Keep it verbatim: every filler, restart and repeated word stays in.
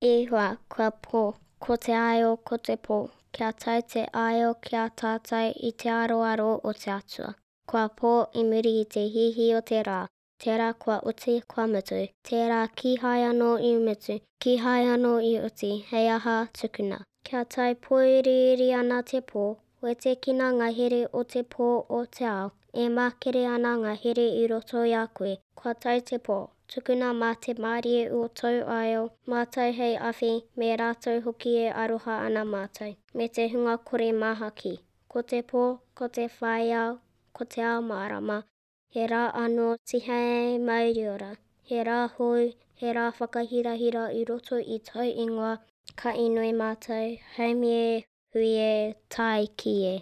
E hoa, kua pō, ko te aio, ko te pō, kia tae te aio ki a tātou i te aroaro o te Atua. Kua pō i muri i te hihi o te rā, tērā kua oti, kua mutu, tērā kīhai anō i mutu, kīhai anō i oti, hei aha tukuna. Kia tae pōuriuri ana te pō, wetekina ngā here o te pō o te ao, e makere ana ngā here i roto i a koe, kua tae te pō, tukuna mā te mārie o tōu aio, mātou hei awhi, me rātou hoki e aroha ana mātou, me te hunga kore māhaki. Ko te pō, ko te whaiao, ko te ao mārama, he rā anō tihei mauriora, he rā hou, he rā whakahirahira i roto i tōu ingoa, ka inoi mātou, haumi e, hui e, tae ki e.